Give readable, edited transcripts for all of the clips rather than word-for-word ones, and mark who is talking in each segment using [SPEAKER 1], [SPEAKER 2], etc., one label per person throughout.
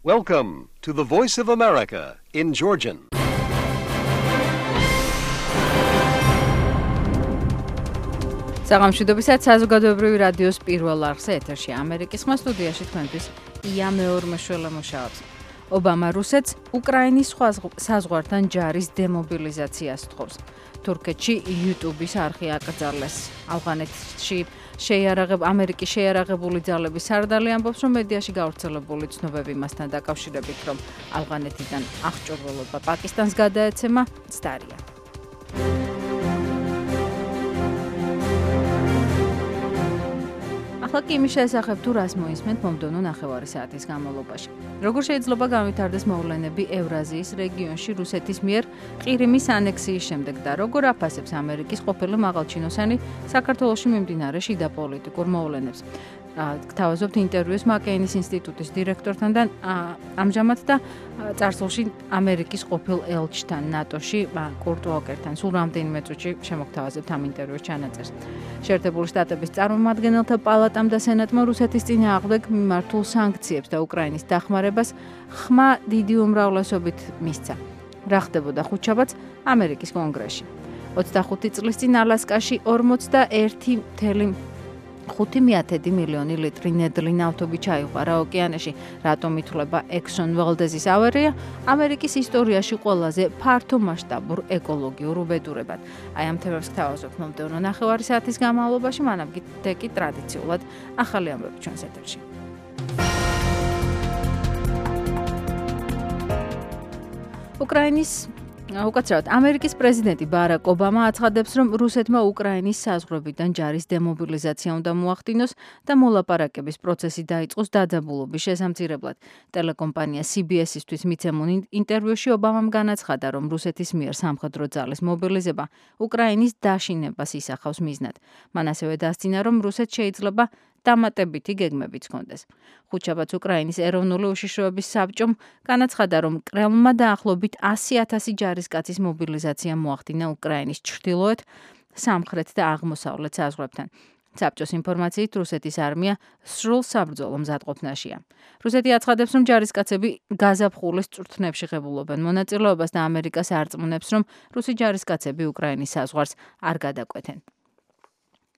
[SPEAKER 1] Welcome to the Voice of America in Georgian.
[SPEAKER 2] საღამოშვიდობისას საზოგადოებრივი რადიოს პირველ არხზე ეთერში ამერიკის ხმა სტუდიაში თქვენთვის ია მეორმეშველა მუშაობს. ობამა რუსეთს უკრაინის საზღვართან ჯარის დემობილიზაციას თხოვს. თურქეთში YouTube-ის არხი აკრძალეს. ავღანეთში ამერიკის შეიარაღებული ძალების სარდალი ამბობს, რომ მედიაში გავრცელებული ცნობები მასთან დაკავშირებით, რომ ავღანეთიდან აღჭურვილობა პაკისტანს გადაეცემა, ცდარია. ახლა კი იმის შესახებ თუ რას მოისმენთ მომდევნო ნახევარი საათის განმავლობაში. როგორ შეიძლება განვითარდეს მოვლენები ევრაზიის რეგიონში რუსეთის მიერ ყირიმის ანექსიის შემდეგ და როგორ აფასებს ამერიკის ყოფილი მაღალჩინოსანი საქართველოში მიმდინარე შიდა პოლიტიკურ მოვლენებს. გთავაზობთ ინტერვიუს მაკეინის ინსტიტუტის დირექტორთან და ამჟამად და წარსულში ამერიკის ყოფილ ელჩთან ნატოში კურტ უოკერთან. სულ რამდენიმე წუთში შემოგთავაზებთ ამ ინტერვიუს ჩანაწერს. შეერთებული შტატების წარმომადგენელთა პალატამ და სენატმა რუსეთის წინააღმდეგ მიმართულ სანქციებს და უკრაინის დახმარებას ხმა დიდი უმრავლესობით მისცა. რა ხდებოდა ხუთშაბათს ამერიკის კონგრესში. 25 წლის წინ ალასკაში 41,5 მილიონი ლიტრი ნედლი ნავთობი ჩაიყვარა ოკეანეში, რატომ ითვლება Exxon Valdez-ის ავარია ამერიკის ისტორიაში ყველაზე ფართო მასშტაბურ ეკოლოგიურ უბედურებად. აი ამ თემებს გთავაზობთ მომდევნო ნახევარი საათის განმავლობაში, მანამ კი ტრადიციულად ახალი ამბები ჩვენს ეთერში. უკაცრავად ამერიკის პრეზიდენტი ბარაკ ობამა აცხადებს, რომ რუსეთმა უკრაინის საზღვრებიდან ჯარის დემობილიზაცია უნდა მოახდინოს და მოლაპარაკების პროცესი დაიწყოს დაძაბულობის შესამცირებლად. ტელეკომპანია CBS-ისთვის მიცემულ ინტერვიუში ობამამ განაცხადა, რომ რუსეთის მიერ სამხედრო ძალის მობილიზება უკრაინის დაშინებას ისახავს მიზნად. მან ასევე დასძინა, რომ რუსეთს შეიძლება დამატებითი გეგმებიც ჰქონდეს. ხუთშაბათს უკრაინის ეროვნული უშიშროების საბჭომ განაცხადა, რომ კრემლმა დაახლოებით 100,000 ჯარისკაცის მობილიზაცია მოახდინა უკრაინის ჩრდილოეთ, სამხრეთ და აღმოსავლეთ საზღვრებთან. საბჭოს ინფორმაციით რუსეთის არმია სრულ საბრძოლო მზადყოფნაშია. რუსეთი აცხადებს, რომ ჯარისკაცები გაზაფხულის წვრთნებში ღებულობენ მონაწილეობას და ამერიკას არწმუნებს, რომ რუსი ჯარისკაცები უკრაინის საზღვარს არ გადაკვეთენ.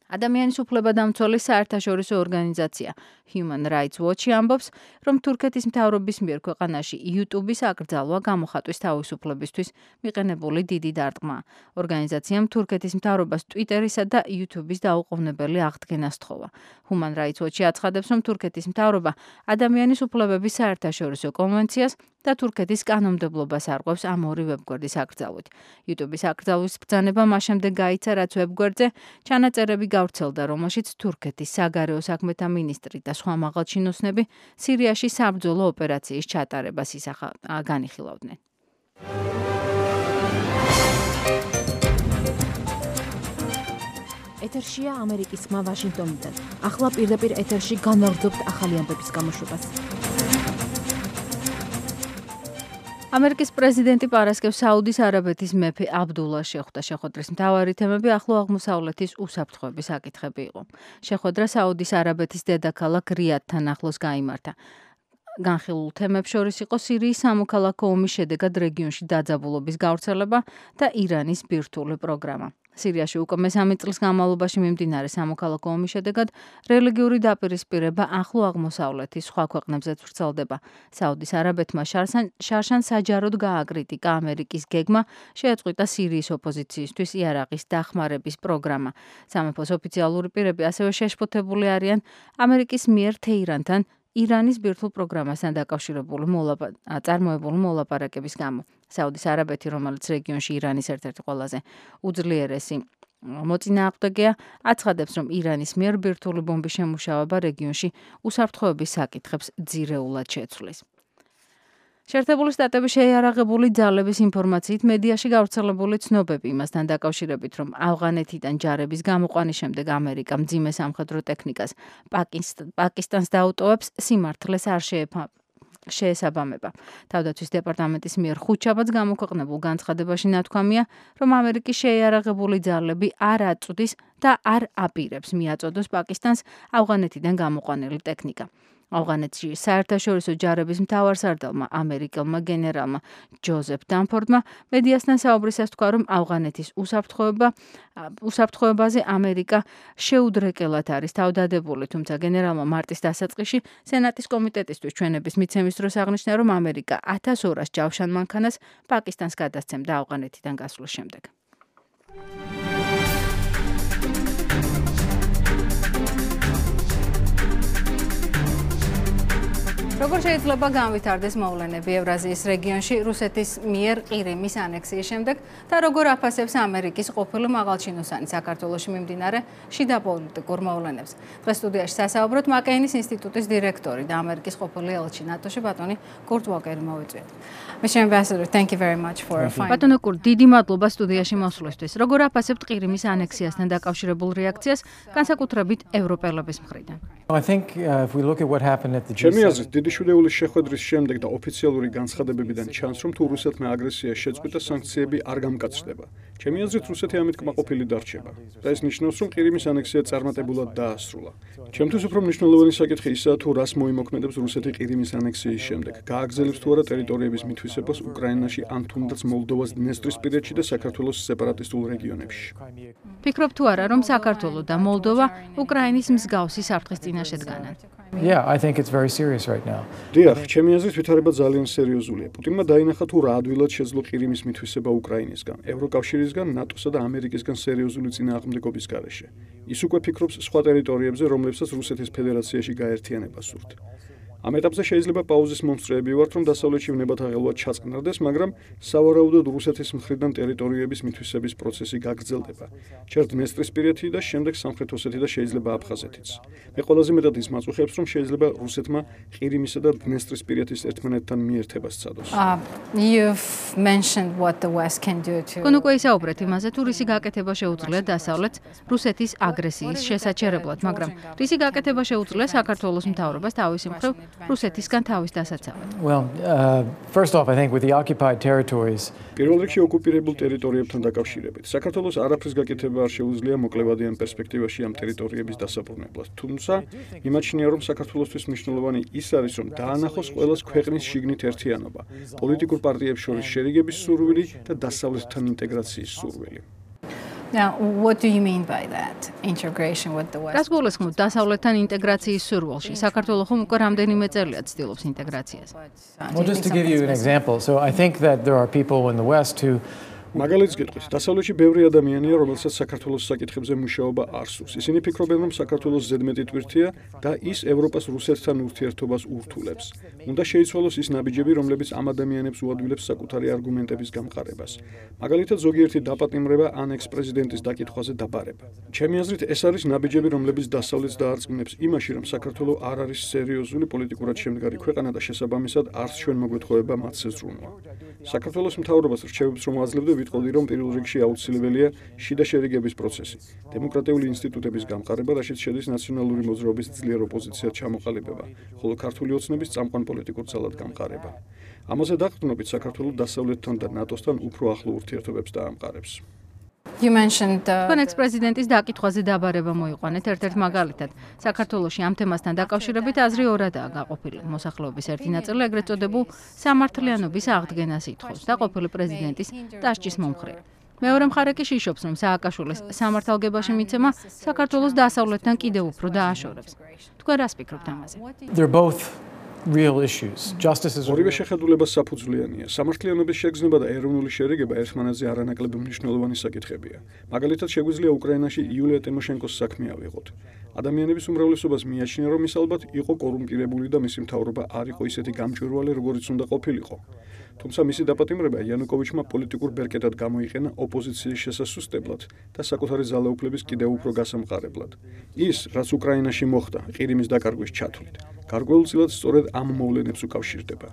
[SPEAKER 2] ადამიანის უფლებადამცველი საერთაშორისო ორგანიზაცია Human Rights Watch ამბობს, რომ თურქეთის მთავრობის მიერ ქვეყანაში YouTube-ის აკრძალვა გამოხატვის თავისუფლებისთვის მიყენებული დიდი დარტყმაა. ორგანიზაციამ თურქეთის მთავრობას Twitter-ისა და YouTube-ის დაუყოვნებელი აღდგენა სთხოვა. Human Rights Watch აცხადებს, რომ თურქეთის მთავრობა ადამიანის უფლებების საერთაშორისო კონვენციას და თურქეთის კანონმდებლობას არღვევს ამ ორი ვებგვერდის აკრძალვით. YouTube-ის აკრძალვის ბრძანება მას შემდეგ გაიცა, რაც ვებგვერდზე ჩანაწერები გავრცელდა, რომელშიც თურქეთის საგარეო საქმეთა მინისტრი და სხვა მაღალჩინოსნები სირიაში საბრძოლო ოპერაციის ჩატარებას განიხილავდნენ.
[SPEAKER 3] ეთერშია ამერიკის ხმა ვაშინგტონიდან. ახლა პირდაპირ ეთერში განვაგრძობთ ახალი ამბების გამოშვებას.
[SPEAKER 2] ამერიკის პრეზიდენტი პარასკევს საუდის არაბეთის მეფე აბდულა შეხვდა. შეხვედრის მთავარი თემები ახლო აღმოსავლეთის უსაფრთხოების საკითხები იყო. შეხვედრა საუდის არაბეთის დედაქალაქ რიადთან ახლოს გაიმართა. განხილულ თემებს შორის იყო სირიის სამოქალაქო ომის შედეგად რეგიონში დაძაბულობის გავრცელება და ირანის ბირთვული პროგრამა. სირიაში უკვე მესამე წლის განმავლობაში მიმდინარე სამოქალაქო ომის შედეგად რელიგიური დაპირისპირება ახლო აღმოსავლეთის სხვა ქვეყნებზეც ვრცელდება. საუდის არაბეთმა შარშან საჯაროდ გააკრიტიკა ამერიკის გეგმა შეაწყვიტა სირიის ოპოზიციისთვის იარაღის დახმარების პროგრამა. სამეფოს ოფიციალური პირები ასევე შეშფოთებული არიან ამერიკის მიერ თეირანთან ირანის ბირთვულ პროგრამასთან დაკავშირებული წარმოებული მოლაპარაკების გამო. საუდის არაბეთი, რომელიც რეგიონში ირანის ერთ-ერთი ყველაზე უძლიერესი მოწინააღმდეგეა, აცხადებს, რომ ირანის მიერ ბირთვული ბომბის შემუშავება რეგიონში უსაფრთხოების საკითხებს ძირეულად შეცვლის. შეერთებული შტატების შეიარაღებული ძალების ინფორმაციით მედიაში გავრცელებული ცნობები იმასთან დაკავშირებით, რომ ავღანეთიდან ჯარების გამოყვანის შემდეგ ამერიკა მძიმე სამხედრო ტექნიკას პაკისტანს დაუტოვებს, სიმართლეს არ შეესაბამება. თავდაცვის დეპარტამენტის მიერ ხუთშაბათს გამოქვეყნებულ განცხადებაში ნათქვამია, რომ ამერიკის შეიარაღებული ძალები არ აწვდის და არ აპირებს მიაწოდოს პაკისტანს ავღანეთიდან გამოყვანილი ტექნიკა. ავღანეთში საერთაშორისო ჯარების მთავარსარდალმა ამერიკელმა გენერალმა ჯოზეფ დანფორდმა მედიასთან საუბრისას თქვა, რომ ავღანეთის უსაფრთხოებაზე ამერიკა შეუდრეკელად არის თავდადებული, თუმცა გენერალმა მარტის დასაწყისში სენატის კომიტეტისთვის ჩვენების მიცემის დროს აღნიშნა, რომ ამერიკა 1200 ჯავშან მანქანას პაკისტანს გადასცემდა ავღანეთიდან გასვლის შემდეგ. როგორ შეიძლება განვითარდეს მოვლენები ევრაზიის რეგიონში რუსეთის მიერ ყირიმის ანექსიის შემდეგ და როგორ აფასებს ამერიკის ყოფილი მაღალჩინოსანი საქართველოში მიმდინარე შიდა პოლიტიკურ მოვლენებს. დღეს სტუდიაში სასაუბროთ მაკეინის ინსტიტუტის დირექტორი და ამერიკის ყოფილი ელჩი ნატოში ბატონი კურტ უოკერი მოვიწვიეთ. Mr. Ambassador, thank you very much for finding. ბატონო კურტ, დიდი მადლობა სტუდიაში მოსვლისთვის. როგორ აფასებთ ყირიმის ანექსიასთან დაკავშირებულ რეაქციას, განსაკუთრებით ევროპელების მხრიდან?
[SPEAKER 4] I think if we look at what happened at the
[SPEAKER 5] ჩემი აზრით, დიდი შვილეულის შეხვედრის შემდეგ და ოფიციალური განცხადებებიდან ჩანს, რომ თუ რუსეთმა აგრესია შეწყვიტა, სანქციები არ გამკაცდება. ჩემი აზრით, რუსეთი ამით კმაყოფილი დარჩება. და ეს ნიშნავს, რომ ყირიმის ანექსია წარმატებულად დაასრულა. ჩემთვის უფრო მნიშვნელოვანი საკითხი ისაა, თუ რას მოიმოქმედებს რუსეთი ყირიმის ანექსიის შემდეგ. გააგრძელებს თუ არა ტერიტორიების მითვისებას უკრაინაში ან თუნდაც მოლდოვას დნესტრისპირეთში და საქართველოს სეპარატისტულ რეგიონებში.
[SPEAKER 2] ფიქრობ თუ არა, რომ საქართველო და მოლდოვა უკრაინის მსგავსი საფრთხის წინაშე დგანან?
[SPEAKER 4] Yeah, I think it's very serious right now.
[SPEAKER 5] დიახ, ჩემი აზრით ვითარება ძალიან სერიოზულია. პუტინმა დაინახა თუ რა ადვილად შეძლო ყირიმის მითვისება უკრაინისგან, ევროკავშირისგან, ნატოსა და ამერიკისგან სერიოზული წინააღმდეგობის გარეშე. ის უკვე ფიქრობს სხვა ტერიტორიებზე, რომლებსაც რუსეთის ფედერაციაში გაერთიანება სურთ. ამ ეტაპზე შეიძლება პაუზის მომსწრეები ვართ, რომ დასავლეთში ვნებათაღელვა ჩაწყნარდეს, მაგრამ სავარაუდოდ რუსეთის მხრიდან ტერიტორიების მითვისების პროცესი გაგრძელდება. ჯერ დნესტრისპირეთი და შემდეგ სამხრეთ ოსეთი და შეიძლება აფხაზეთიც. მე ყველაზე მეტად ის მაწუხებს, რომ შეიძლება რუსეთმა ყირიმისა და დნესტრისპირეთის ერთმანეთთან მიერთებას სცადოს.
[SPEAKER 6] You've mentioned what the West can do to.
[SPEAKER 2] თქვენ უკვე ისაუბრეთ იმაზე, თუ რისი გაკეთება შეუძლია დასავლეთს რუსეთის აგრესიის შესაჩერებლად, მაგრამ რისი გაკეთება შეუძლია საქართველოს მთავრობას თავისი მხრივ რუსეთისგან თავის დასაცავად.
[SPEAKER 4] Well, first off, I think with the occupied territories,
[SPEAKER 5] პირველ რიგში ოკუპირებულ ტერიტორიებთან დაკავშირებით, საქართველოს არაფრის გაკეთება არ შეუძლია მოკლევადიან პერსპექტივაში ამ ტერიტორიების დასაბრუნებლად. თუმცა, იმაჩნია, რომ საქართველოსთვის მნიშვნელოვანი ის არის, რომ დაანახოს ყველას ქვეყნის შიგნით ერთიანობა, პოლიტიკურ პარტიებს შორის შერიგების სურვილი და დასავლეთთან ინტეგრაციის სურვილი.
[SPEAKER 6] Now, what do you mean by that? Integration with the West.
[SPEAKER 2] რას გულისხმობთ დასავლეთთან ინტეგრაციის სურვილში? საქართველო ხომ უკვე რამდენიმე წელია ცდილობს ინტეგრაციას.
[SPEAKER 4] well, just to give you an example, so I think that there are people in the West who
[SPEAKER 5] მაგალითს გეტყვით, დასავლეთში ბევრი ადამიანია, რომელსაც საქართველოს საკითხებზე მუშაობა არ სურს. ისინი ფიქრობენ, რომ საქართველოს ზედმეტი ტვირთია და ის ევროპას რუსეთთან ურთიერთობას ურთულებს. უნდა შეიცვალოს ის ნაბიჯები, რომლებიც ამ ადამიანებს უადვილებს საკუთარი არგუმენტების გამყარებას. მაგალითად, ზოგიერთი დაპატიმრება ან ექს-პრეზიდენტის დაკითხვაზე დაბარება. ჩემი აზრით, ეს არის ნაბიჯები, რომლებიც დასავლეთს დაარწმუნებს იმაში, რომ საქართველო არ არის სერიოზული პოლიტიკურად შემდგარი ქვეყანა და შესაბამისად არც ჩვენ მოგვეთხოვება მათზე ზრუნვა. საქართველოს მთავრობას რჩევებს, რომ აძლევდა ვიტყოდი, რომ პირველ რიგში აუცილებელია შიდა შერიგების პროცესი, დემოკრატიული ინსტიტუტების გამყარება, რაშიც შედის ნაციონალური მოძრაობის ძლიერ ოპოზიციად ჩამოყალიბება, ხოლო ქართული ოცნების წამყვან პოლიტიკურ ძალად გამყარება. ამაზე დაყრდნობით საქართველოს დასავლეთთან და ნატოსთან უფრო ახლო ურთიერთობებს დაამყარებს.
[SPEAKER 6] You mentioned
[SPEAKER 2] თქვენ ექს-პრეზიდენტის დაკითხვაზე დაბარება მოიყვანეთ ერთ-ერთ მაგალითად. საქართველოში ამ თემასთან დაკავშირებით აზრი ორადაა გაყოფილი. მოსახლეობის ერთი ნაწილი ეგრეთ წოდებულ სამართლიანობის აღდგენას ითხოვს და ყოფილი პრეზიდენტის დასჯის მომხრეა. მეორე მხარე კი შიშობს, რომ სააკაშვილის სამართალგებაში მიცემა საქართველოს დასავლეთთან კიდევ უფრო დააშორებს. თქვენ რას ფიქრობთ ამაზე?
[SPEAKER 4] they're both real issues. Justice is
[SPEAKER 5] ორივე შეხედულება საფუძვლიანია. სამართლიანობის შეგრძნება და ეროვნული შერიგება ერთმანეთზე არანაკლებ მნიშვნელოვანი საკითხებია. მაგალითად, შეგვიძლია უკრაინაში იულია ტიმოშენკოს საქმე ავიღოთ. ადამიანების უმრავლესობას მიაჩნია, რომ ის ალბათ იყო კორუმპირებული და მისი მთავრობა არ იყო ისეთი გამჭვირვალე, როგორიც უნდა ყოფილიყო. თუმცა მისი დაპატიმრება იანუკოვიჩმა პოლიტიკურ ბერკეტად გამოიყენა ოპოზიციის შესასუსტებლად და საკუთარი ძალაუფლების კიდევ უფრო გასამყარებლად. ის, რაც უკრაინაში მოხდა, ყირიმის დაკარგვის ჩათვლით, გარკვეულწილად სწორედ ამ მოვლენებს უკავშირდება.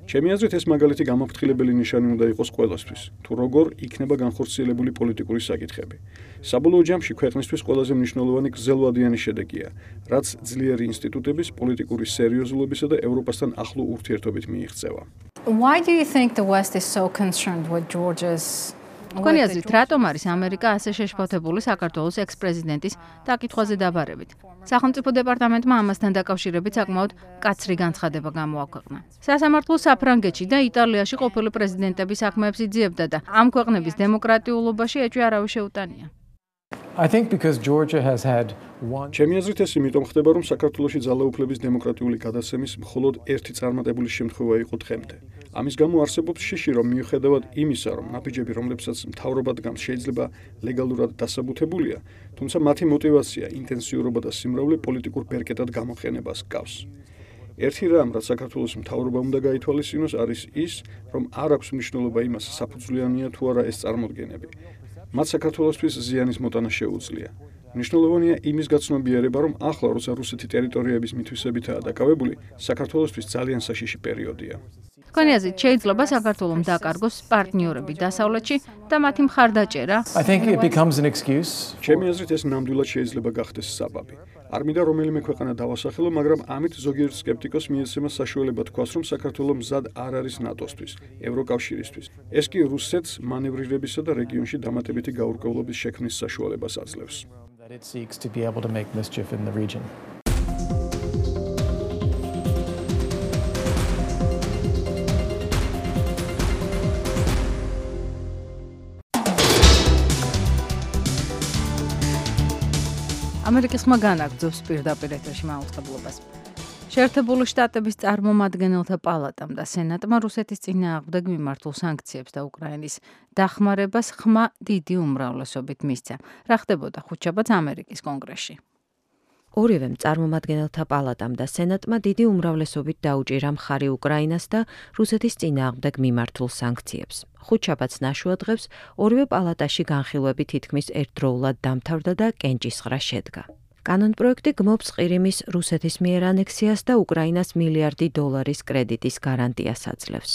[SPEAKER 5] ჩემი აზრით, ეს მაგალითი გამაფრთხილებელი ნიშანი უნდა იყოს ყველასთვის, თუ როგორ იქნება განხორციელებული პოლიტიკური საკითხები. საბოლოო ჯამში ქვეყნისთვის ყველაზე მნიშვნელოვანი გრძელვადიანი შედეგია, რაც ძლიერი ინსტიტუტების, პოლიტიკური სერიოზულობისა და ევროპასთან ახლო ურთიერთობით მიიღწევა.
[SPEAKER 6] Why do you think the West is so concerned with Georgia's
[SPEAKER 2] თქვენი აზრით, რატომ არის ამერიკა ასე შეშფოთებული საქართველოს ექს-პრეზიდენტის დაკითხვაზე დაბარებით? სახელმწიფო დეპარტამენტმა ამასთან დაკავშირებით საკმაოდ მკაცრი განცხადება გამოაქვეყნა. სასამართლო საფრანგეთში და იტალიაში ყოფილი პრეზიდენტების საქმეებს იძიებდა და ამ ქვეყნების დემოკრატიულობაში ეჭვი არავის შეუტანია.
[SPEAKER 4] I think because Georgia has had one
[SPEAKER 5] ჩემი აზრით ეს იმიტომ ხდება, რომ საქართველოში ძალაუფლების დემოკრატიული გადაცემის მხოლოდ ერთი წარმატებული შემთხვევა იყო დღემდე. ამის გამო არსებობს შიში, რომ მიუხედავად იმისა, რომ ნაბიჯები, რომლებსაც მთავრობა დგამს, შეიძლება ლეგალურად დასაბუთებულია, თუმცა მათი мотиваცია, ინტენსიურობა და სიმრავლე პოლიტიკურ ბერკეტად გამოყენებას ჰგავს. ერთი რამ, რაც საქართველოს მთავრობა უნდა გაითვალისწინოს, არის ის, რომ არ აქვს მნიშვნელობა იმას, საფუძვლიანია თუ არა ეს წარმოდგენები. მათ საქართველოსთვის ზიანის მოტანა შეუძლია. მნიშვნელოვანია იმის გაცნობიერება, რომ ახლა, როცა რუსეთი ტერიტორიების მითვისებითაა დაკავებული, საქართველოსთვის ძალიან საშიში პერიოდია.
[SPEAKER 2] თქვენი აზრით, შეიძლება საქართველოს დაკარგოს პარტნიორები დასავლეთში და მათი მხარდაჭერა?
[SPEAKER 4] I think it becomes an excuse.
[SPEAKER 5] ჩემი აზრით, ეს ნამდვილად შეიძლება გახდეს საბაბი. არ მინდა რომელიმე ქვეყანა დავასახელო, მაგრამ ამით ზოგიერთ სკეპტიკოს მიეცემა საშუალება თქვას, რომ საქართველო მზად არ არის ნატოსთვის, ევროკავშირისთვის. ეს კი რუსეთს მანევრირებისა და რეგიონში დამატებითი გაურკვევლობის შექმნის საშუალებას აძლევს.
[SPEAKER 4] That it seeks to be able to make mischief in the region.
[SPEAKER 2] ამერიკის ხმა განაგრძობს პირდაპირ ეთერში მაუწყებლობას. შეერთებული შტატების წარმომადგენელთა პალატამ და სენატმა რუსეთის წინააღმდეგ მიმართულ სანქციებს და უკრაინის დახმარებას ხმა დიდი უმრავლესობით მისცა. რა ხდებოდა ხუთშაბათს ამერიკის კონგრესში?
[SPEAKER 7] ორივემ წარმომადგენელთა პალატამ და სენატმა დიდი უმრავლესობით დაუჭირა მხარი უკრაინას და რუსეთის წინააღმდეგ მიმართულ სანქციებს. ხუთშაბათს ნაშუა დღეს ორივე პალატაში განხილვები თითქმის ერთდროულად დამთავრდა და კენჭისყრა შედგა. კანონპროექტი გმობს ყირიმის რუსეთის მიერ ანექსიას და უკრაინას $1 მილიარდი კრედიტის გარანტიას აძლევს.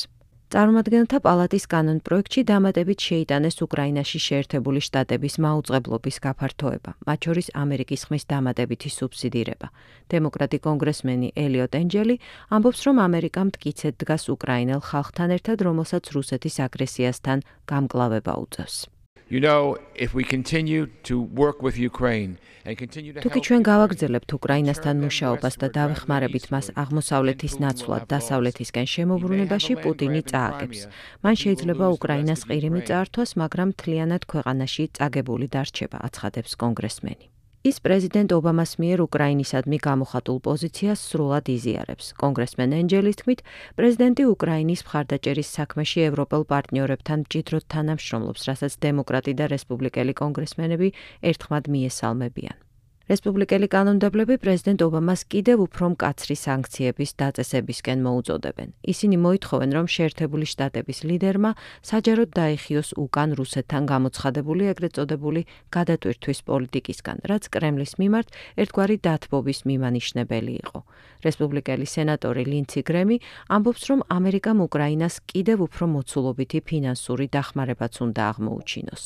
[SPEAKER 7] წარმომადგენელთა პალატის კანონპროექტში დამატებით შეიტანეს უკრაინაში შეერთებული შტატების მაუწყებლობის გაფართოება, მათ შორის ამერიკის ხმის დამატებითი სუბსიდირება. დემოკრატი კონგრესმენი ელიოტ ენჯელი ამბობს, რომ ამერიკა მტკიცედ დგას უკრაინელ ხალხთან ერთად, რომელსაც რუსეთის აგრესიასთან გამკლავება უწევს.
[SPEAKER 8] You know, if we continue to work with Ukraine and continue to
[SPEAKER 7] თუკი ჩვენ გავაგრძელებთ უკრაინასთან მუშაობას და დავეხმარებით მას აღმოსავლეთის ნაცვლად დასავლეთისკენ შემოbrunებაში, პუტინი წააგებს. მან შეიძლება უკრაინას ყირიმი წაართვას, მაგრამ მთლიანად ქვეყანაში წაგებული დარჩება, აცხადებს კონგრესმენი. ის პრეზიდენტ ობამას მიერ უკრაინისადმი გამოხატულ პოზიციას სრულად იზიარებს. კონგრესმენ ენჯელის თქმით, პრეზიდენტი უკრაინის მხარდაჭერის საქმეში ევროპელ პარტნიორებთან მჭიდროდ თანამშრომლობს, რასაც დემოკრატი და რესპუბლიკელი კონგრესმენები ერთხმად მიესალმებიან. რესპუბლიკელი კანონმდებლები პრეზიდენტ ობამას კიდევ უფრო მკაცრი სანქციების დაწესებისკენ მოუწოდებენ. ისინი მოითხოვენ, რომ შეერთებული შტატების ლიდერმა საჯაროდ დაიხიოს უკან რუსეთთან გამოცხადებული ეგრეთ წოდებული გადატვირთვის პოლიტიკისგან, რაც კრემლის მიმართ ერთგვარი დათბობის მიმანიშნებელი იყო. რესპუბლიკელი სენატორი ლინცი გრემი ამბობს, რომ ამერიკამ უკრაინას კიდევ უფრო მოცულობითი ფინანსური დახმარებაც უნდა აღმოუჩინოს.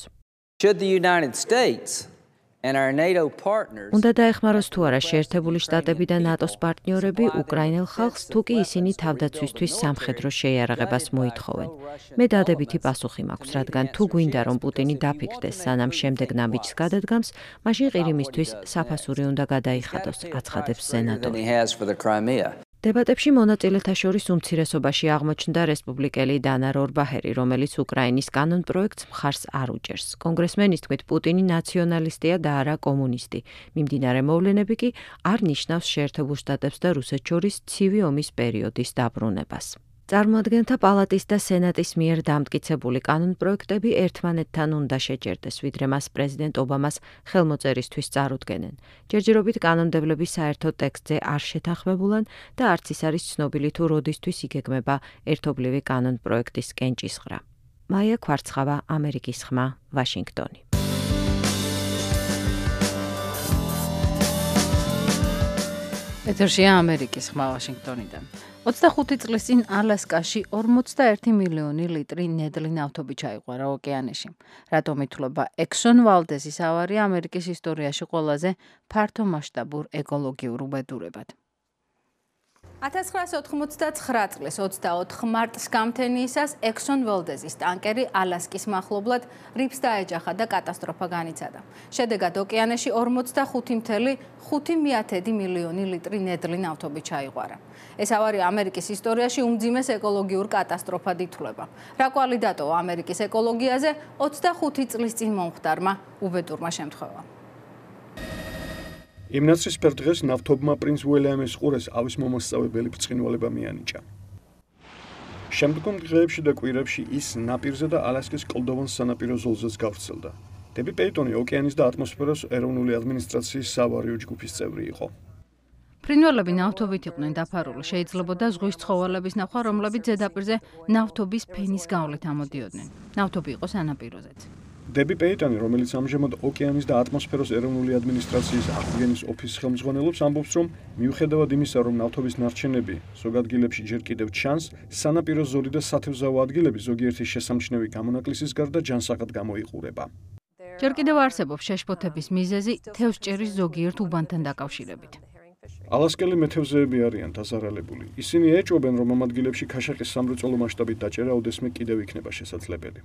[SPEAKER 9] Should the United States
[SPEAKER 7] უნდა დაეხმაროს თუ არა შეერთებული შტატები და ნატოს პარტნიორები უკრაინელ ხალხს, თუ კი ისინი თავდაცვისთვის სამხედრო შეიარაღებას მოითხოვენ. მე დადებითი პასუხი მაქვს, რადგან თუ გვინდა რომ პუტინი დაფიქრდეს, სანამ შემდეგ ნაბიჯს გადადგამს, მაშინ ყირიმისთვის საფასური უნდა გადაიხადოს, აცხადებს სენატორი. დებატებში მონაწილეთა შორის უმცირესობაში აღმოჩნდა რესპუბლიკელი დანა რორბაჰერი, რომელიც უკრაინის კანონპროექტს მხარს არ უჭერს. კონგრესმენის თქმით, პუტინი ნაციონალისტია და არა კომუნისტი. მიმდინარე მოვლენები კი არ ნიშნავს შეერთებულ შტატებს და რუსეთს შორის ცივი ომის პერიოდის დაბრუნებას. წარმოადგენთა პალატის და სენატის მიერ დამტკიცებული კანონპროექტები ერთმანეთთან უნდა შეჯერდეს, ვიდრე მას პრეზიდენტ ობამას ხელმოწერისთვის წარუდგენენ. ჯერჯერობით კანონმდებლები საერთო ტექსტზე არ შეთანხმებულან და არც ის არის ცნობილი თუ როდისთვის იგეგმება ერთობლივი კანონპროექტის კენჭისყრა. მაია ქვარცხავა, ამერიკის ხმა, ვაშინგტონი.
[SPEAKER 2] ეთერშია ამერიკის ხმა ვაშინგტონიდან. 25 წლის წინ ალასკაში 41 მილიონი ლიტრი ნედლი ნავთობი ჩაიყვარა ოკეანეში. რატომ ითვლება ექსონ ვალდესის ავარია ამერიკის ისტორიაში ყველაზე ფართომასშტაბურ ეკოლოგიურ უბედურებად?
[SPEAKER 6] 1999 წლის 24 მარტს გამთენიისას Exxon Valdez-ის ტანკერი ალასკის მახლობლად რიფს დაეჯახა და კატასტროფა განიცადა. შედეგად ოკეანეში 45.5 მილიონი ლიტრი ნედლი ნავთობი ჩაიღვარა. ეს ავარია ამერიკის ისტორიაში უმძიმეს ეკოლოგიურ კატასტროფად ითვლება. რა კვალი დატოვა ამერიკის ეკოლოგიაზე 25 წლის წინ მომხდარმა უბედურმა შემთხვევამ.
[SPEAKER 5] იმ ნაცრისფერ დღეს ნავთობმა პრინც უილიამის ყურეს ავის მომასწავებელი ბრწყინვალება მიანიჭა. შემდგომ დღეებში და კვირებში ის ნაპირზე და ალასკის კლდოვან სანაპირო ზოლზეც გავრცელდა. დები პეიტონი ოკეანის და ატმოსფეროს ეროვნული ადმინისტრაციის სავარიო ჯგუფის წევრი იყო.
[SPEAKER 2] ფრინველები ნავთობით იყვნენ დაფარული, შეიძლებოდა ზღვის ცხოველების ნახვა, რომლებიც ზედაპირზე ნავთობის ფენის გავლით ამოდიოდნენ. ნავთობი იყო სანაპიროზეც.
[SPEAKER 5] დები პეიტონი, რომელიც ამჟამად ოკეანის და ატმოსფეროს ეროვნული ადმინისტრაციის აღდგენის ოფისის ხელმძღვანელობს, ამბობს, რომ მიუხედავად იმისა, რომ ნავთობის ნარჩენები ზოგ ადგილებში ჯერ კიდევ ჩანს, სანაპირო ზოლი და სათევზაო ადგილები ზოგიერთი შესამჩნევი გამონაკლისის გარდა ჯანსაღად გამოიყურება.
[SPEAKER 2] ჯერ კიდევ არსებობს შეშფოთების მიზეზი თევზჭერის ზოგიერთ უბანთან დაკავშირებით.
[SPEAKER 5] ალასკელი მეთევზეები არიან დაზარალებული. ისინი ეჭვობენ, რომ ამ ადგილებში ქაშაყის სამრეწველო მასშტაბით დაჭერა ოდესმე კიდევ იქნება შესაძლებელი.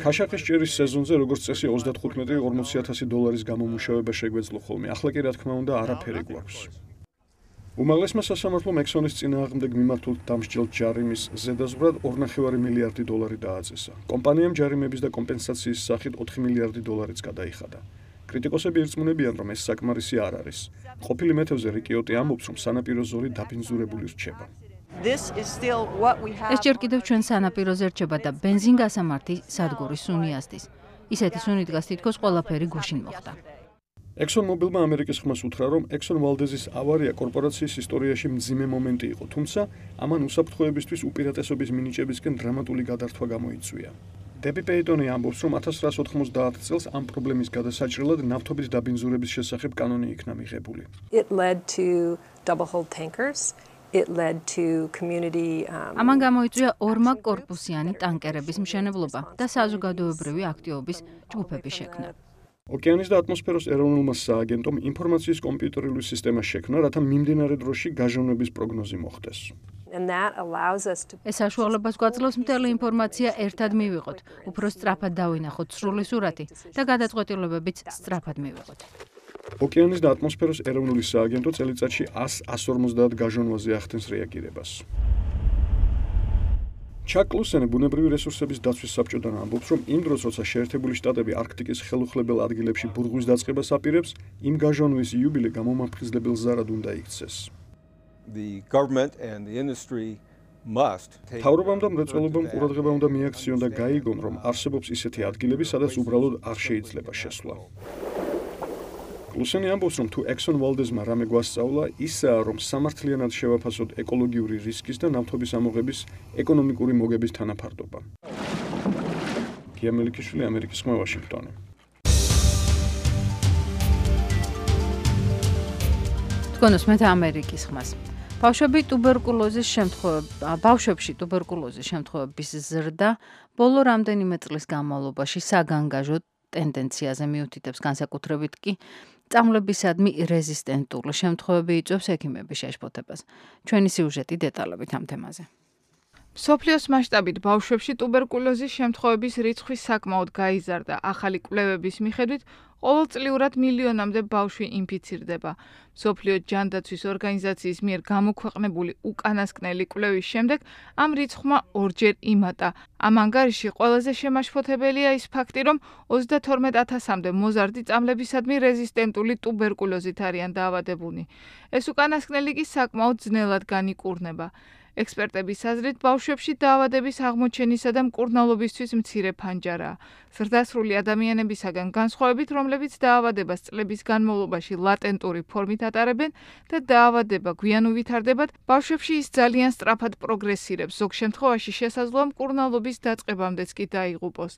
[SPEAKER 5] ქაშაყის ჭერის სეზონზე როგორც წესი 35-40,000 გამომუშავება შეგვეძლო ხოლმე. ახლა კი რა თქმა უნდა არაფერი გვაქვს. უმაღლესმა სასამართლომ Exxon-ის წინააღმდეგ მიმართულ დამსჯელ ჯარიმის ზედაზღვრად $2.5 მილიარდი დააწესა. კომპანიამ ჯარიმების და კომპენსაციის სახით $4 მილიარდი გადაიხადა. კრიტიკოსები ირწმუნებიან, რომ ეს საკმარისი არ არის. ყოფილი მეთევზე რიკიოტი ამბობს, რომ სანაპირო ზოლი დაბინძურებული რჩება.
[SPEAKER 2] ეს ჯერ კიდევ ჩვენ სანაპიროზე რჩება და ბენზინგასამართი სადგურის სუნი ასდის. ისეთი სუნი დგას თითქოს ყველაფერი გუშინ მოხდა.
[SPEAKER 5] Exxon Mobilმა ამერიკის ხმას უთხრა, რომ Exxon Valdez-ის ავარია კორპორაციის ისტორიაში მძიმე მომენტი იყო, თუმცა ამან უსაფრთხოებისთვის უპირატესობის მინიჭებისკენ დრამატული გადართვა გამოიწვია. დები პეიტონი ამბობს, რომ 1990 წელს ამ პრობლემის გადასაჭრელად ნავთობის დაბინძურების შესახებ კანონი იქნა მიღებული.
[SPEAKER 2] ამან გამოიწვია ორმაგკორპუსიანი ტანკერების მშენებლობა და საზოგადოებრივი აქტივობის ჯგუფების შექმნა.
[SPEAKER 5] ოკეანის და ატმოსფეროს ეროვნულმა სააგენტომ ინფორმაციის კომპიუტერული სისტემა შექმნა, რათა მიმდინარე დროში გაჟონების პროგნოზი მოხდეს.
[SPEAKER 2] ეს საშუალებას გვაძლევს მთელი ინფორმაცია ერთად მივიღოთ, უფრო სწრაფად დავინახოთ სრული სურათი და გადაწყვეტილებებიც სწრაფად მივიღოთ.
[SPEAKER 5] ოკეანის და ატმოსფეროს ეროვნული სააგენტო წელიწადში 100-150 გაჟონვაზე ახდენს რეაგირებას. ჩაკ ლუსენი ბუნებრივი რესურსების დაცვის საბჭოდან ამბობს, რომ იმ დროს, როცა შეერთებული შტატები არქტიკის ხელუხლებელ ადგილებში ბურღვის დაწყებას აპირებს, იმ გაჟონვის იუბილე გამომაფხიზლებელ ზარად უნდა იქცეს. მთავრობამ და მრეწველობამ ყურადღება უნდა მიაქციონ და გაიგონ, რომ არსებობს ისეთი ადგილები, სადაც უბრალოდ არ შეიძლება შესვლა. ლუსენი ამბობს, რომ თუ Exxon Valdez-მა რამე გვასწავლა, ისაა, რომ სამართლიანად შევაფასოთ ეკოლოგიური რისკის და ნავთობის ამოღების ეკონომიკური მოგების თანაფარდობა. გია მელიქიშვილი, ამერიკის ხმა, ვაშინგტონი.
[SPEAKER 2] თქვენ უსმენთ ამერიკის ხმას. ბავშვებში ტუბერკულოზის შემთხვევების ზრდა ბოლო რამდენიმე წლის განმავლობაში საგანგაჟო ტენდენციაზე მიუთითებს, განსაკუთრებით კი წამლებისადმი რეზისტენტული შემთხვევები იწვევს ექიმების შეშფოთებას. ჩვენი სიუჟეტი დეტალებით ამ თემაზე.
[SPEAKER 10] მსოფლიოს მასშტაბით ბავშვებში ტუბერკულოზის შემთხვევების რიცხვი საკმაოდ გაიზარდა. ახალი კვლევების მიხედვით ყოველწლიურად მილიონამდე ბავშვი ინფიცირდება. მსოფლიო ჯანდაცვის ორგანიზაციის მიერ გამოქვეყნებული უკანასკნელი კვლევის შემდეგ ამ რიცხვმა ორჯერ იმატა. ამ ანგარიში ყველაზე შემაშფოთებელია ის ფაქტი, რომ 32,000-მდე მოზარდი წამლებისადმი რეზისტენტული ტუბერკულოზით არიან დაავადებულნი. ეს უკანასკნელი კი საკმაოდ ძნელად განიკურნება. ექსპერტების აზრით, ბავშვებში დაავადების აღმოჩენისა და მკურნალობისთვის მცირე ფანჯარაა. ზრდასრული ადამიანებისაგან განსხვავებით, რომლებიც დაავადებას წლების განმავლობაში ლატენტური ფორმით ატარებენ და დაავადება გვიან უვითარდებათ, ბავშვებში ის ძალიან სწრაფად პროგრესირებს, ზოგ შემთხვევაში შესაძლოა მკურნალობის დაწყებამდეც კი დაიღუპოს.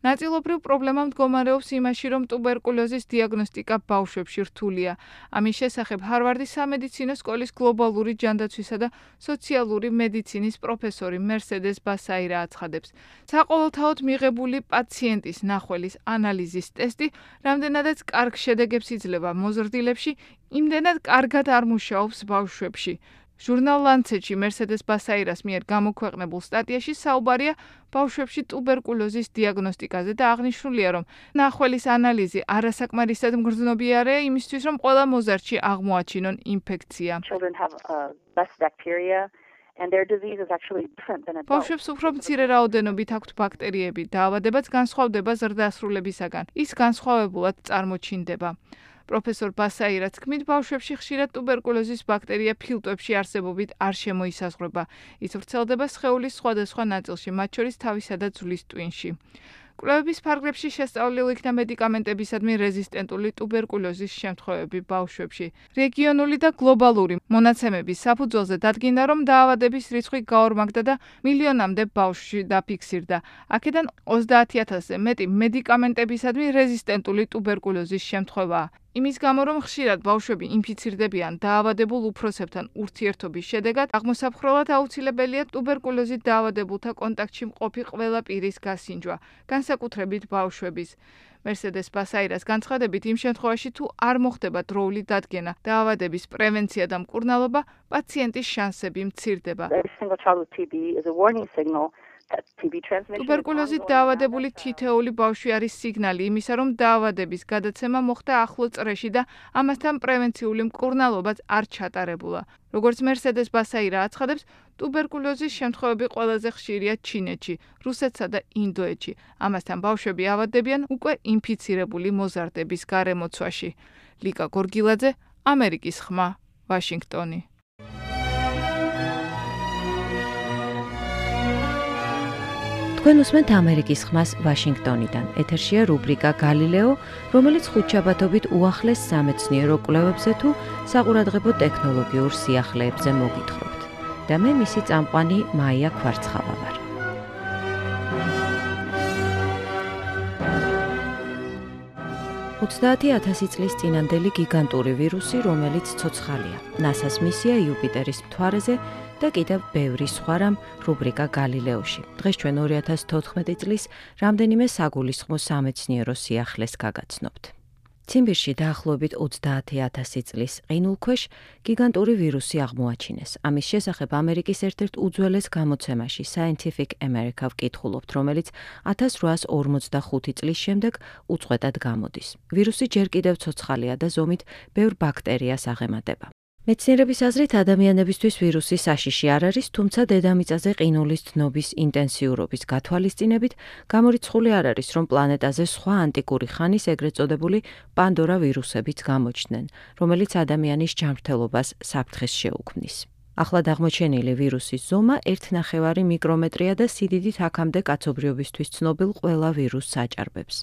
[SPEAKER 10] ნაწილობრივ პრობლემა მდგომარეობს იმაში, რომ ტუბერკულოზის დიაგნოსტიკა ბავშვებში რთულია. ამის შესახებ ჰარვარდის სამედიცინო სკოლის გლობალური ჯანდაცვისა და სოციალური ტრანსპლანტური მედიცინის პროფესორი Mercedes Basaira აცხადებს. საყოველთაოდ მიღებული პაციენტის ნახველის ანალიზის ტესტი რამდენადაც კარგ შედეგებს იძლევა მოზრდილებში, იმდენად კარგად არ მუშაობს ბავშვებში. ჟურნალ Lancet-ში Mercedes Basairas მიერ გამოქვეყნებულ სტატიაში საუბარია ბავშვებში ტუბერკულოზის დიაგნოსტიკაზე და აღნიშნულია, რომ ნახველის ანალიზი არასაკმარისად მგრძნობიარეა იმისთვის, რომ ყველა მოზარდში აღმოაჩინონ ინფექცია. ბავშვებს უფრო მცირე რაოდენობით აქვთ ბაქტერიები, დაავადებაც განსხვავდება ზრდასრულებისაგან. ის განსხვავებულად წარმოჩინდება. პროფესორ ბასაირას თქმით, ბავშვებში ხშირად ტუბერკულოზის ბაქტერია ფილტვებში არსებობით არ შემოისაზღვრება. ის ვრცელდება სხეულის სხვადასხვა ნაწილში, მათ შორის თავისა და ძვლის ტვინში. კვლევების ფარგლებში შესწავლილი იქნა მედიკამენტებისადმი რეზისტენტული ტუბერკულოზის შემთხვევები ბავშვებში. რეგიონული და გლობალური მონაცემების საფუძველზე დადგინდა, რომ დაავადების რიცხვი გაორმაგდა და მილიონამდე ბავშვში დაფიქსირდა. აქედან 30,000-ზე მეტი მედიკამენტებისადმი რეზისტენტული ტუბერკულოზის შემთხვევაა. იმის გამო, რომ ხშირად ბავშვები ინფიცირდებიან დაავადებულ უფროსებთან ურთიერთობის შედეგად, აღმოსაფხრელად აუცილებელია ტუბერკულოზით დაავადებულთა კონტაქტში მყოფი ყველა პირის გასინჯვა, განსაკუთრებით ბავშვების. Mercedes Basairas განცხადებით, იმ შემთხვევაში თუ არ მოხდება დროული დადგენა, დაავადების პრევენცია და მკურნალობა, პაციენტის შანსები მცირდება. ტუბერკულოზით დაავადებული თითოეული ბავშვი არის სიგნალი იმისა, რომ დაავადების გადაცემა მოხდა ახლო წრეში და ამასთან პრევენციული მკურნალობაც არ ჩატარებულა. როგორც Mercedes Basaira აცხადებს, ტუბერკულოზის შემთხვევები ყველაზე ხშირია ჩინეთში, რუსეთსა და ინდოეთში. ამასთან ბავშვები ავადდებიან უკვე ინფიცირებული მოზარდების გარემოცვაში. ლიკა გორგილაძე, ამერიკის ხმა, ვაშინგტონი.
[SPEAKER 7] თქვენ უსმენთ ამერიკის ხმას ვაშინგტონიდან. ეთერშია რუბრიკა გალილეო, რომელიც ხუთშაბათობით უახლეს სამეცნიერო კვლევებზე თუ საყურადღებო ტექნოლოგიურ სიახლეებზე მოგითხრობთ. და მე მისი წამყვანი მაია ქვარცხავა ვარ. $30,000 წლის წინანდელი გიგანტური ვირუსი, რომელიც ცოცხალია. NASA-ს მისია იუპიტერის მთვარეზე და კიდევ ბევრი სხვა რამ რუბრიკა გალილეოში. დღეს ჩვენ 2014 წლის რამდენიმე საგულისხმო სამეცნიერო სიახლეს გაგაცნობთ. ციმბირში დაახლოებით 30,000 წლის ყინულქვეშ გიგანტური ვირუსი აღმოაჩინეს. ამის შესახებ ამერიკის ერთ-ერთ უძველეს გამოცემაში Scientific America ვკითხულობთ, რომელიც 1845 წლის შემდეგ უწყვეტად გამოდის. ვირუსი ჯერ კიდევ ცოცხალია და ზომით ბევრ ბაქტერიას აღემატება. მეცნიერების აზრით ადამიანებისთვის ვირუსი საშიში არ არის, თუმცა დედამიწაზე ყინულის დნობის ინტენსიურობის გათვალისწინებით გამორიცხული არ არის, რომ პლანეტაზე სხვა ანტიკური ხანის ეგრეთ წოდებული პანდორა ვირუსებიც გამოჩნდნენ, რომელიც ადამიანის ჯანმრთელობას საფრთხეს შეუქმნის. ახლად აღმოჩენილი ვირუსის ზომა 1,5 მიკრომეტრია და სიდიდით აქამდე კაცობრიობისთვის ცნობილ ყველა ვირუსს აჭარბებს.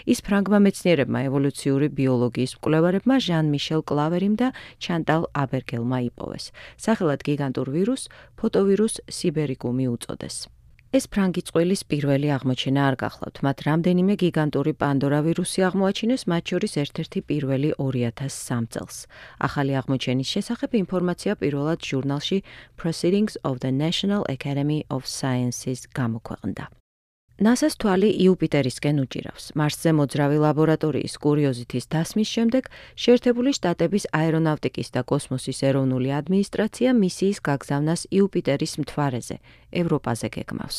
[SPEAKER 7] ის ფრანგმა მეცნიერებმა ევოლუციური ბიოლოგიის მკვლევარებმა ჟან-მიშელ კლავერიმ და ჩანტალ აბერგელმა იპოვეს. სახელად გიგანტურ ვირუსს ფოტოვირუს სიბერიკუმი უწოდეს. ეს ფრანგი წყვილის პირველი აღმოჩენა არ გახლავთ, მათ რამდენიმე გიგანტური პანდორა ვირუსი აღმოაჩინეს, მათ შორის ერთ-ერთი პირველი 2003 წელს. ახალი აღმოჩენის შესახებ ინფორმაცია პირველად ჟურნალში Proceedings of the National Academy of Sciences გამოქვეყნდა. NASA-ს თვალი იუპიტერისკენ უჭირავს. მარსზე მოძრავი ლაბორატორიის კურიოზითის დასმის შემდეგ შეერთებული შტატების აერონავტიკის და კოსმოსის ეროვნული ადმინისტრაცია მისიის გაგზავნას იუპიტერის მთვარეზე, ევროპაზე გეგმავს.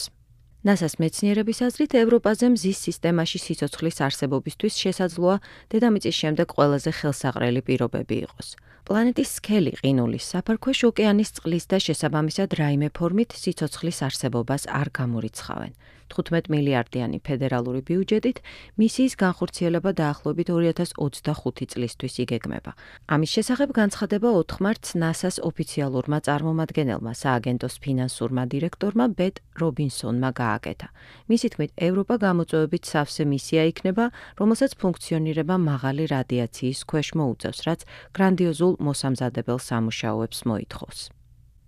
[SPEAKER 7] NASA-ს მეცნიერების აზრით, ევროპაზე მზის სისტემაში სიცოცხლის არსებობისთვის შესაძლოა დედამიწის შემდეგ ყველაზე ხელსაყრელი პირობები იყოს. პლანეტის სქელი ყინულის საფარქვეშ ოკეანის წყლის და შესაბამისად რაიმე ფორმით სიცოცხლის არსებობას არ გამორიცხავენ. 15 მილიარდიანი ფედერალური ბიუჯეტით მისიის განხორციელება დაახლოებით 2025 წლისთვის იგეგმება. ამის შესახებ განცხადება 4 მარტს NASA-ს ოფიციალურმა წარმომადგენელმა, სააგენტოს ფინანსურმა დირექტორმა ბეტ რობინსონმა გააკეთა. მისი თქმით, ევროპა გამოწვევებით სავსე მისია იქნება, რომელსაც ფუნქციონირება მაღალი რადიაციის ქვეშ მოუწევს, რაც გრანდიოზულ მოსამზადებელ სამუშაოებს მოითხოვს.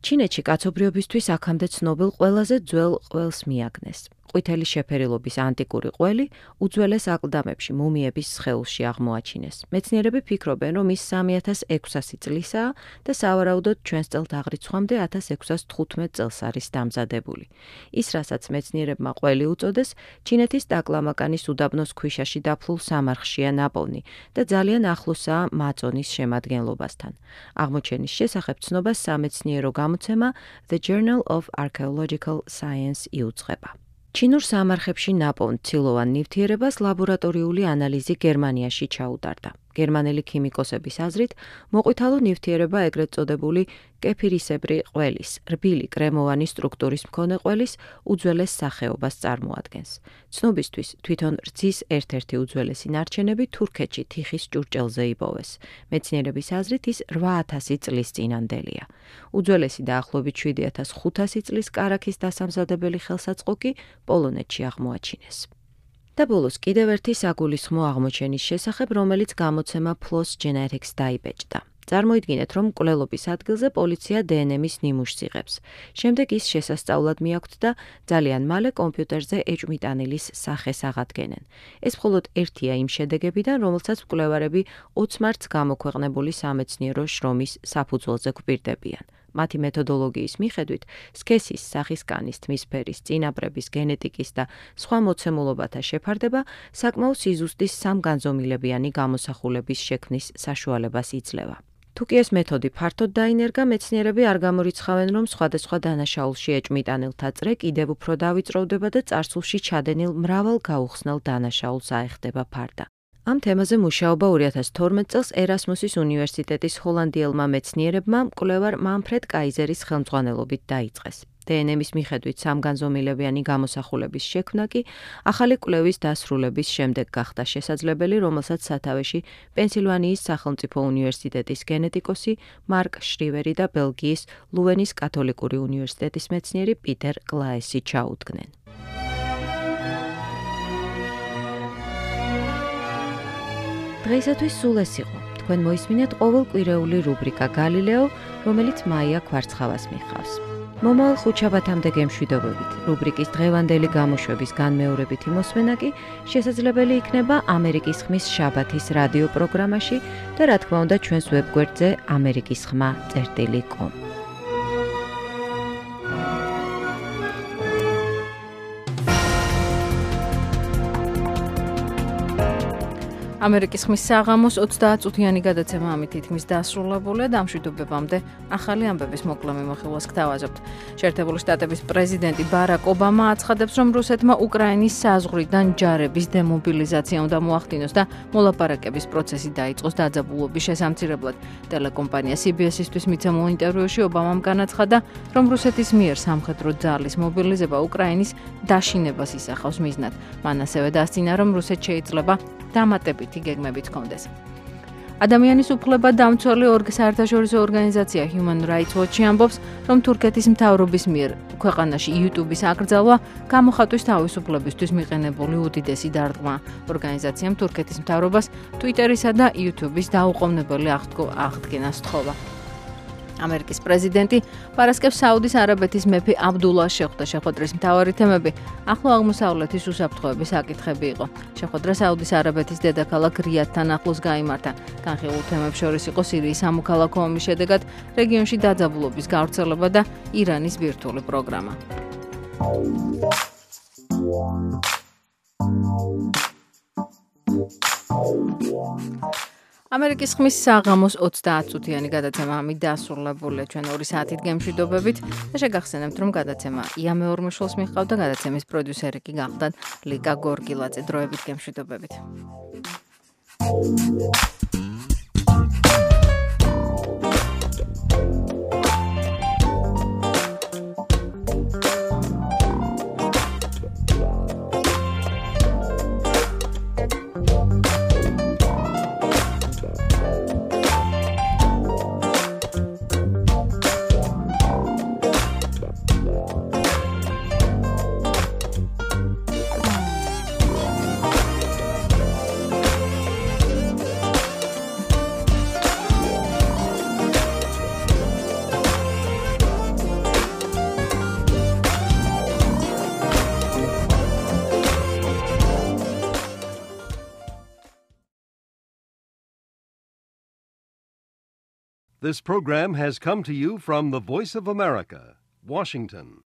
[SPEAKER 7] ჩინეთში კაცობრიობისთვის აქამდე ცნობილ ყველაზე ძველ ყველს მიაგნეს. ყვითელი შეფერილობის ანტიკური ყველი უძველეს აკლდამებში მუმიების სხეულში აღმოაჩინეს. მეცნიერები ფიქრობენ, რომ ის 3600 წლისაა და სავარაუდოდ ჩვენს წელთაღრიცხვამდე 1615 წელს არის დამზადებული. ის, რასაც მეცნიერებმა ყველი უწოდეს, ჩინეთის ტაკლამაკანის უდაბნოს ქვიშაში დაფლულ სამარხშია ნაპოვნი და ძალიან ახლოსაა მაწონის შემადგენლობასთან. აღმოჩენის შესახებ ცნობას სამეცნიერო გამოცემა The Journal of Archaeological Science იუძღება. ჩინურ სამარხებში ნაპოვნ ცილოვან ნივთიერებას ლაბორატორიული ანალიზი გერმანიაში ჩაუტარდა. გერმანელი ქიმიკოსების აზრით, მოყვითალო ნივთიერება ეგრეთ წოდებული კეფირისებრი ყველის, რბილი კრემოვანი სტრუქტურის მქონე ყველის უძველეს სახეობას წარმოადგენს. ცნობისთვის თვითონ რძის ერთ-ერთი უძველესი ნარჩენები თურქეთში თიხის ჭურჭელზე იპოვეს. მეცნიერების აზრით ის 8000 წლის წინანდელია. უძველესი დაახლოებით 7500 წლის კარაქის დასამზადებელი ხელსაწყო კი პოლონეთში აღმოაჩინეს. და ბოლოს კიდევ ერთი საგულისხმო აღმოჩენის შესახებ, რომელიც გამოცემა PLOS Genetics დაიბეჭდა. წარმოიდგინეთ, რომ მკვლელობის ადგილზე პოლიცია დნმ-ის ნიმუშს იღებს. შემდეგ ის შესასწავლად მიაქვთ და ძალიან მალე კომპიუტერზე ეჭვმიტანილის სახეს აღადგენენ. ეს მხოლოდ ერთია იმ შედეგებიდან, რომელსაც მკვლევარები 20 მარტს გამოქვეყნებული სამეცნიერო შრომის საფუძველზე გვპირდებიან. მათი მეთოდოლოგიის მიხედვით, სქესის, სახისკანის, თმისფერის, წინაპრების, გენეტიკის და სხვა მოცემულობათა შეფარდება საკმაო სიზუსტის სამგანზომილებიანი გამოსახულების შექმნის საშუალებას იძლევა. თუ კი ეს მეთოდი ფართოდ დაინერგა, მეცნიერები არ გამორიცხავენ, რომ სხვადასხვა დანაშაულში ეჭვმიტანილთა წრე კიდევ უფრო დავიწროვდება და წარსულში ჩადენილ მრავალ გაუხსნელ დანაშაულს აეხდება ფარდა. ამ თემაზე მუშაობა 2012 წელს ერასმუსის უნივერსიტეტის ჰოლანდიელმა მეცნიერებმა მკვლევარ მანფრედ კაიზერის ხელმძღვანელობით დაიწყეს. დნმ-ის მიხედვით სამგანზომილებიანი გამოსახულების შექმნა კი ახალი კვლევის დასრულების შემდეგ გახდა შესაძლებელი, რომელსაც სათავეში პენსილვანიის სახელმწიფო უნივერსიტეტის გენეტიკოსი მარკ შრივერი და ბელგიის ლუენის კათოლიკური უნივერსიტეტის მეცნიერი პიტერ კლაესი ჩაუდგნენ. დღეისათვის სულ ეს იყო. თქვენ მოისმინეთ ყოველკვირეული რუბრიკა გალილეო, რომელიც მაია კვარცხავას მიხავს. მომავალ ხუთშაბათამდე გემშვიდობებით. რუბრიკის დღევანდელი გამოშვების განმეორებითი მოსმენა კი შესაძლებელი იქნება ამერიკის ხმის შაბათის რადიო პროგრამაში და რა თქმა უნდა ჩვენს ვებგვერდზე amerikisxma.com.
[SPEAKER 2] ამერიკის ხმის საღამოს 30 წუთიანი გადაცემა ამით თითქმის დასრულებულია და ამ მშვიდობებამდე ახალი ამბების მოკლე მიმოხილვას გთავაზობთ. შეერთებული შტატების პრეზიდენტი ბარაკ ობამა აცხადებს, რომ რუსეთმა უკრაინის საზღვრიდან ჯარების დემობილიზაცია უნდა მოახდინოს და მოლაპარაკების პროცესი დაიწყოს დაძაბულობის შესამცირებლად. ტელეკომპანია CBS-ისთვის მიცემულ ინტერვიუში ობამამ განაცხადა, რომ რუსეთის მიერ სამხედრო ძალის მობილიზება უკრაინის დაშინებას ისახავს მიზნად. მან ასევე დასძინა, რომ რუსეთს შეიძლება დამატებითი გეგმებიც ჰქონდეს. ადამიანის უფლება დამცველი საერთაშორისო ორგანიზაცია Human Rights Watch ამბობს, რომ თურქეთის მთავრობის მიერ ქვეყანაში YouTube-ის აკრძალვა გამოხატვის თავისუფლებისთვის მიყენებული უდიდესი დარტყმა. ორგანიზაციამ თურქეთის მთავრობას Twitter-ისა და YouTube-ის დაუყოვნებელი აღდგენას სთხოვა. ამერიკის პრეზიდენტი პარასკევს საუდის არაბეთის მეფე აბდულას შეხვდა. შეხვედრის მთავარი თემები ახლო აღმოსავლეთის უსაფრთხოების საკითხები იყო. შეხვედრა საუდის არაბეთის დედაქალაქ რიადთან ახლოს გაიმართა. განხილულ თემებს შორის იყო სირიის სამოქალაქო ომის შედეგად რეგიონში დაძაბულობის გავრცელება და ირანის ბირთვული პროგრამა. ამერიკის ხმის საღამოს 30 წუთიანი გადაცემა ამით დასრულებულია. ჩვენ 2 საათით გემშვიდობებით და შეგახსენებთ, რომ გადაცემა იამეორმიშვილს მიჰყავდა, გადაცემის პროდიუსერი კი გახდათ ლიკა გორგილაძე. დროებით გემშვიდობებით.
[SPEAKER 1] This program has come to you from the Voice of America, Washington.